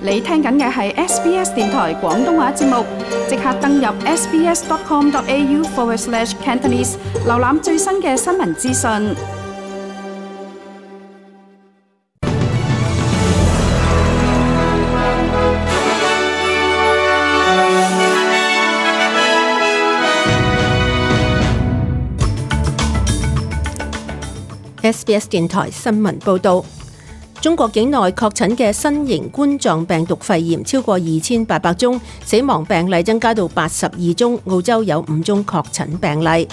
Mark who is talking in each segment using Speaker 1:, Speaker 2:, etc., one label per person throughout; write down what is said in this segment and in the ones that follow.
Speaker 1: 你聽緊嘅係 SBS 電台廣東話節目，即刻登入 sbs.com.au/Cantonese 瀏覽最新嘅新聞資訊。
Speaker 2: SBS 電台新聞報道。中國境內確診嘅新型冠狀病毒肺炎超過2800宗，死亡病例增加到82宗。澳洲有5宗確診病例。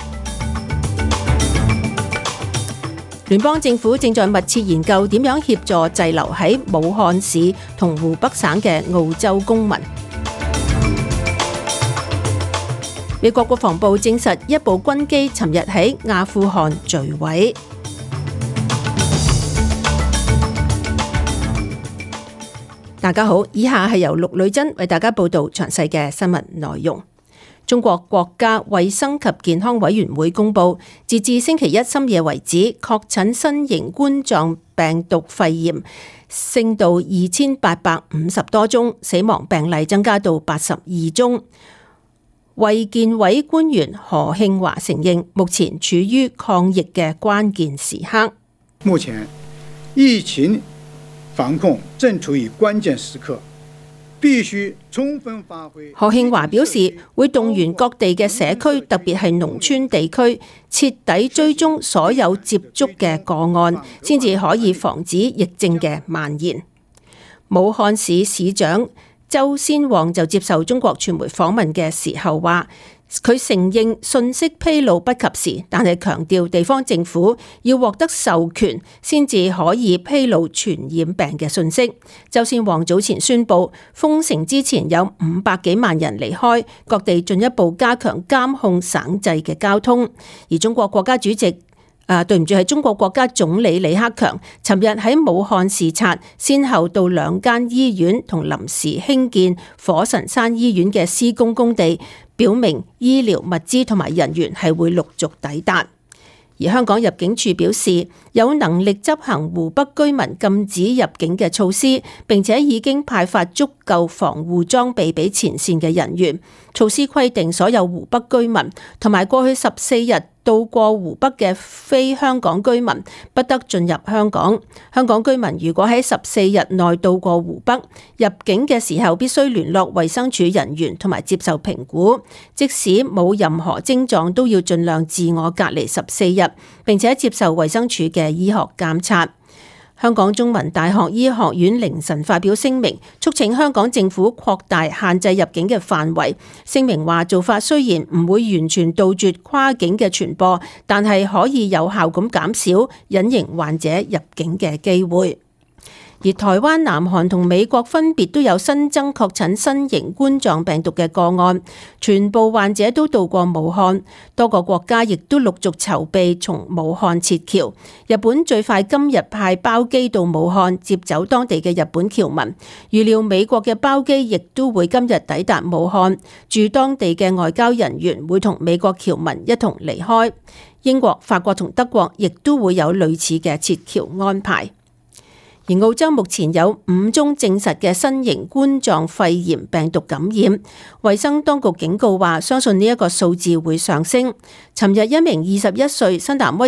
Speaker 2: 聯邦政府正在密切研究點樣協助滯留喺武漢市同湖北省嘅澳洲公民。美國國防部證實一部軍機尋日喺阿富汗墜毀。大家好，以下係由陸女真為大家報道詳細嘅新聞內容。中國國家衛生及健康委員會公布，截至星期一深夜為止，確診新型冠狀病毒肺炎升到2850多宗，死亡病例增加到82宗。衛健委官員何慶華承認，目前處於抗疫嘅關鍵時刻。
Speaker 3: 目前疫情防控正處於關鍵時刻，必須充分發揮。
Speaker 2: 何慶華表示，會動員各地嘅社區，特別係農村地區，徹底追蹤所有接觸嘅個案，先至可以防止疫症嘅蔓延。武漢市市長周先旺就接受中國傳媒訪問嘅時候話，佢承認信息披露不及時，但係強調地方政府要獲得授權先至可以披露傳染病嘅信息。周先旺早前宣布，封城之前有500幾萬人離開，各地進一步加強監控省際嘅交通。而中國國家主席係中國國家總理李克強尋日喺武漢視察，先後到2間醫院同臨時興建火神山醫院嘅施工工地，表明醫療物資同埋人員係會陸續抵達。而香港入境處表示，有能力執行湖北居民禁止入境嘅措施，並且已經派發足夠防護裝備俾前線嘅人員。措施規定，所有湖北居民同埋過去14日到過湖北嘅非香港居民不得進入香港。香港居民如果喺14日內到過湖北，入境嘅時候必須聯絡衛生署人員同埋接受評估，即使冇任何症狀都要盡量自我隔離14日，並且接受衛生署嘅醫學監察。香港中文大學醫學院凌晨發表聲明，促請香港政府擴大限制入境嘅範圍。聲明話，做法雖然唔會完全杜絕跨境嘅傳播，但係可以有效咁減少隱形患者入境嘅機會。而台灣、南韓同美國分別都有新增確診新型冠狀病毒嘅個案，全部患者都到過武漢，多個國家亦都陸續籌備從武漢撤僑。日本最快今日派包機到武漢接走當地嘅日本僑民，預料美國嘅包機亦都會今日抵達武漢，駐當地嘅外交人員會同美國僑民一同離開。英國、法國同德國亦都會有類似嘅撤僑安排。而澳洲目前有5宗證實嘅新型冠狀肺炎病毒感染，衛生當局警告話，相信呢一個數字會上升。尋日一名21歲新南威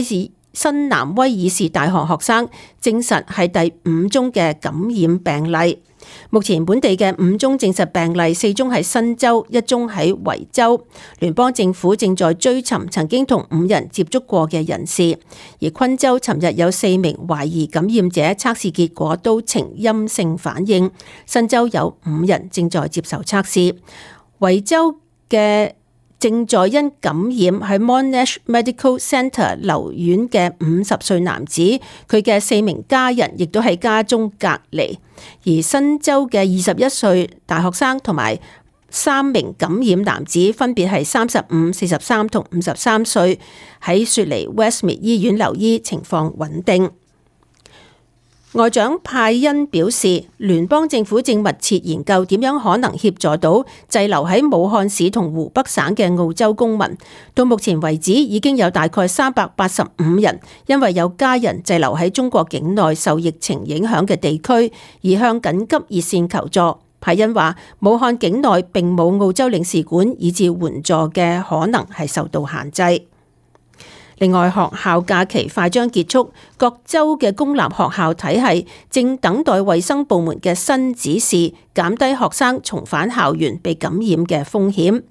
Speaker 2: 爾士大學學生證實係第5宗嘅感染病例。目前本地嘅5宗證實病例，4宗喺新州，1宗喺維州。聯邦政府正在追尋曾經同5人接觸過嘅人士。而昆州尋日有4名懷疑感染者測試結果都呈陰性反應。新州有5人正在接受測試。維州嘅正在因感染喺 Monash Medical Centre 留院嘅50歲男子，佢嘅4名家人亦都喺家中隔離。而新州嘅21歲大學生同埋3名感染男子，分別係35、43同53歲，喺雪梨 Westmead 醫院留醫，情況穩定。外長派恩表示，聯邦政府正密切研究點樣可能協助到滯留喺武漢市同湖北省嘅澳洲公民。到目前為止，已經有大概385人因為有家人滯留喺中國境內受疫情影響嘅地區，而向緊急熱線求助。派恩話，武漢境內並冇澳洲領事館，以致援助嘅可能係受到限制。另外，學校假期快將結束，各州嘅公立學校體系正等待衛生部門嘅新指示，減低學生重返校園被感染嘅風險。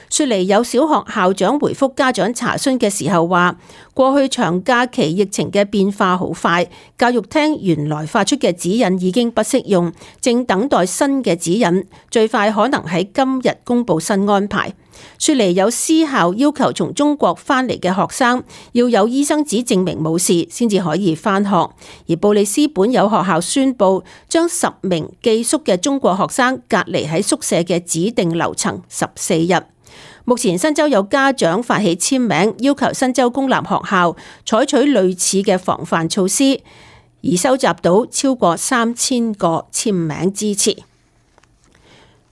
Speaker 2: 雪梨有小學校長回覆家長查詢嘅時候話，過去長假期疫情嘅變化好快，教育廳原來發出嘅指引已經不適用，正等待新嘅指引，最快可能喺今日公布新安排。雪梨有私校要求從中國返嚟嘅學生要有醫生紙證明冇事先至可以返學，而布里斯本有學校宣布將10名寄宿嘅中國學生隔離喺宿舍嘅指定樓層14日。目前新州有家長發起簽名，要求新州公立學校採取類似嘅防範措施，而收集到超過3000個簽名支持。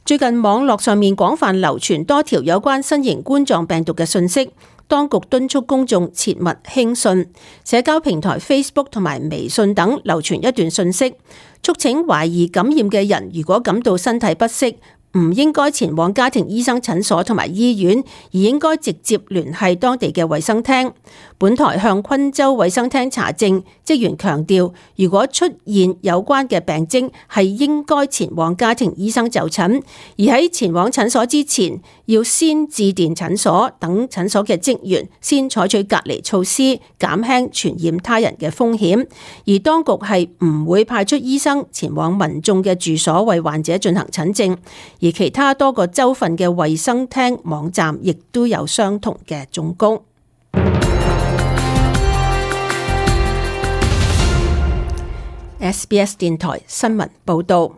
Speaker 2: 最近網絡上面廣泛流傳多條有關新型冠狀病毒嘅訊息，當局敦促公眾切勿輕信。社交平台 Facebook 同埋微信等流傳一段訊息，促請懷疑感染嘅人如果感到身體不適，唔應該前往家庭醫生診所同埋醫院，而應該直接聯繫當地嘅衛生廳。本台向昆州衛生廳查證，職員強調，如果出現有關嘅病徵，係應該前往家庭醫生就診，而喺前往診所之前，要先致電診所，等診所嘅職員先採取隔離措施，減輕傳染他人嘅風險。而當局係唔會派出醫生前往民眾嘅住所為患者進行診症。而其他多個州份嘅衛生廳網站亦都有相同嘅忠告。SBS 電台新聞報導，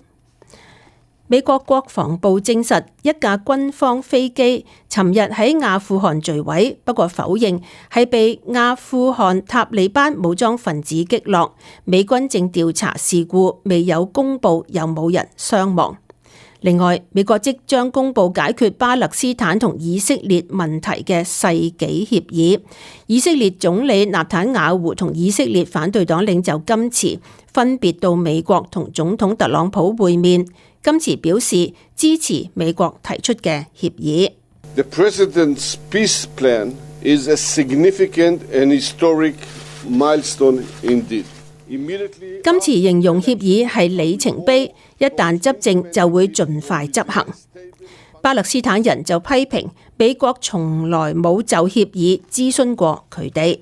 Speaker 2: 美國國防部證實一架軍方飛機尋日喺阿富汗墜毀，不過否認係被阿富汗塔利班武裝分子擊落。美軍正調查事故，未有公佈有冇人傷亡。另外，美國即將公布解決巴勒斯坦同以色列問題嘅世紀協議。以色列總理納坦雅胡同以色列反對黨領袖金茨分別到美國同總統特朗普會面。金茨表示支持美國提出嘅協議。
Speaker 4: The President's peace plan is a significant and historic milestone indeed.
Speaker 2: 今次形容協議係里程碑，一旦執政就會盡快執行。巴勒斯坦人就批評美國從來冇就協議諮詢過佢哋。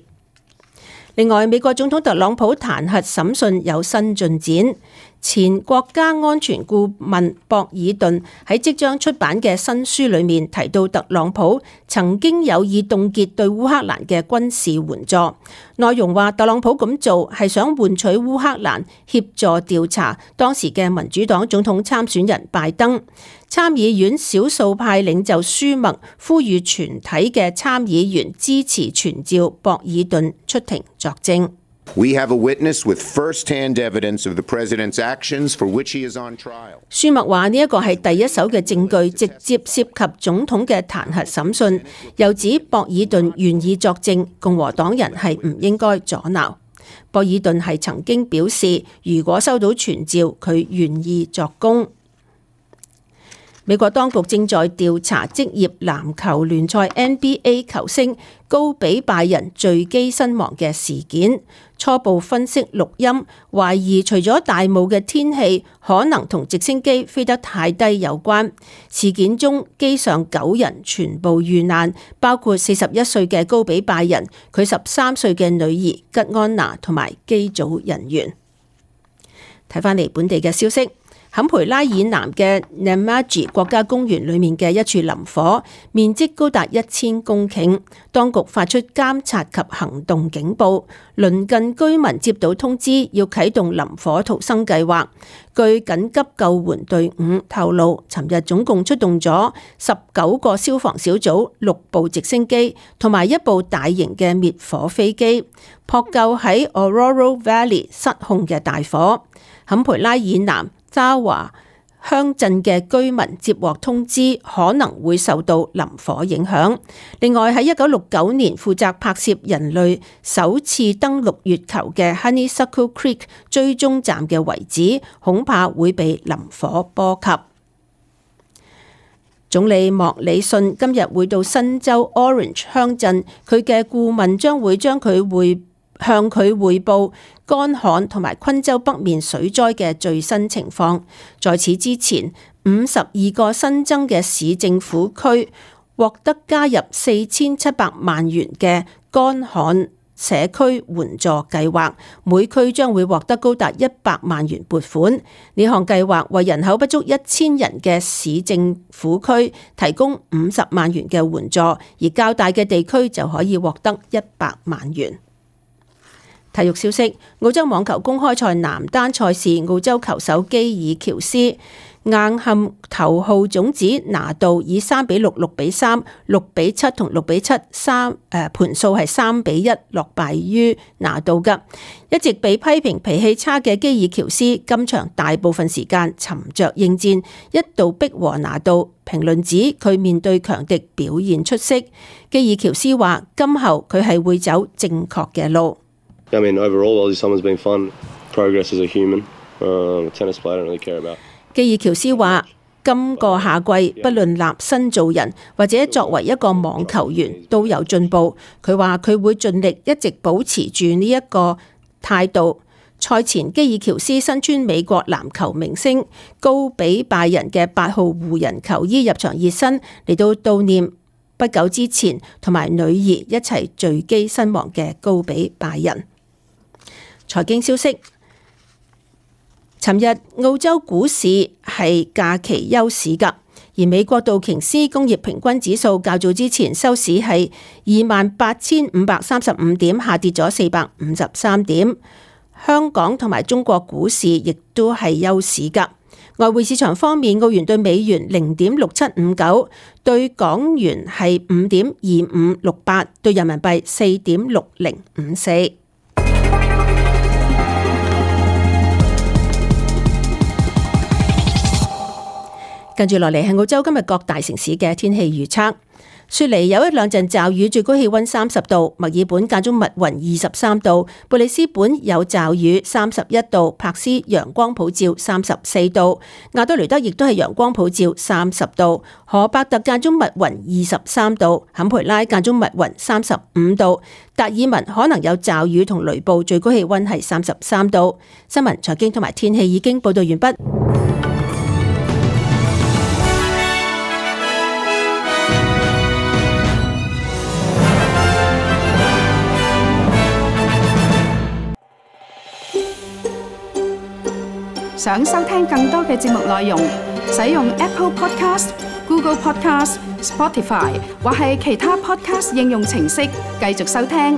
Speaker 2: 另外，美國總統特朗普彈劾審訊有新進展。前國家安全顧問博爾頓喺即將出版嘅新書裏面提到，特朗普曾經有意凍結對烏克蘭嘅軍事援助。內容話，特朗普咁做係想換取烏克蘭協助調查當時嘅民主黨總統參選人拜登。參議院少數派領袖舒默呼籲全體嘅參議員支持傳召博爾頓出庭作證。
Speaker 5: We have a witness with first-hand evidence of the president's actions for which he is on trial.
Speaker 2: 舒默話呢一個係第一手嘅證據，直接涉及總統嘅彈劾審訊。又指博爾頓願意作證，共和黨人係唔應該阻撓。博爾頓係曾經表示，如果收到傳召，佢願意作供。美國當局正在調查職業籃球聯賽 NBA 球星高比拜仁墜機身亡嘅事件，初步分析錄音，懷疑除咗大霧嘅天氣，可能同直升機飛得太低有關。事件中機上9人全部遇難，包括41歲嘅高比拜仁，佢13歲嘅女兒吉安娜同埋機組人員。睇返嚟本地嘅消息。坎培拉以南嘅 Namaji 國家公園裏面嘅一處林火，面積高達1000公頃，當局發出監察及行動警報，鄰近居民接到通知要啟動林火逃生計劃。據緊急救援隊伍透露，尋日總共出動咗19個消防小組、6部直升機同埋1部大型嘅滅火飛機，撲救喺 Ororo Valley 失控嘅大火。坎培拉以南渣華鄉鎮嘅居民接獲通知，可能會受到林火影響。另外喺1969年負責拍攝人類首次登陸月球嘅 Honeysuckle Creek 追蹤站嘅遺址，恐怕會被林火波及。總理莫里遜今日會到新州 Orange 鄉鎮，佢嘅顧問將會向佢匯報乾旱同埋昆州北面水災嘅最新情況。在此之前，52個新增嘅市政府區獲得加入4700萬元嘅乾旱社區援助計劃，每區將會獲得高達100萬元撥款。呢項計劃為人口不足1000人嘅市政府區提供50萬元嘅援助，而較大嘅地區就可以獲得100萬元。體育消息：澳洲網球公開賽男單賽事，澳洲球手基爾喬斯硬撼頭號種子拿度，以3-6、6-3、6-7同6-7盤數係3-1落敗於拿度嘅。一直被批評脾氣差嘅基爾喬斯，今場大部分時間沉着應戰，一度逼和拿度。評論指佢面對強敵表現出色。基爾喬斯話：今後佢係會走正確嘅路。
Speaker 6: I mean, overall, Aussie summer's been fun. Progress as a human. Tennis player, I don't really care about.
Speaker 2: 基爾喬斯話：今個夏季，不論立身做人或者作為一個網球員，都有進步。佢話佢會盡力一直保持住呢一個態度。賽前，基爾喬斯身穿美國籃球明星高比拜仁嘅8號湖人球衣入場熱身，嚟到悼念不久之前同埋女兒一齊墜機身亡嘅高比拜仁。財經消息：尋日澳洲股市係假期休市㗎，而美國道瓊斯工業平均指數較早之前收市係28,535點，下跌咗453點。香港同埋中國股市亦都係休市㗎。外匯市場方面，澳元對美元0.6759，對港元係5.2568，對人民幣4.6054。跟住落嚟係澳洲今日各大城市嘅天氣預測。雪梨有一兩陣驟雨，最高氣溫30度；墨爾本間中密雲23度；布里斯本有驟雨31度；柏斯陽光普照34度；亞多雷德亦都係陽光普照30度；荷伯特間中密雲23度；坎培拉間中密雲35度；達爾文可能有驟雨同雷暴，最高氣溫係33度。新聞、財經同埋天氣已經報道完畢。
Speaker 1: 想收聽更多嘅節目內容，使用 Apple Podcast、Google Podcast、Spotify 或係其他 Podcast 應用程式繼續收聽。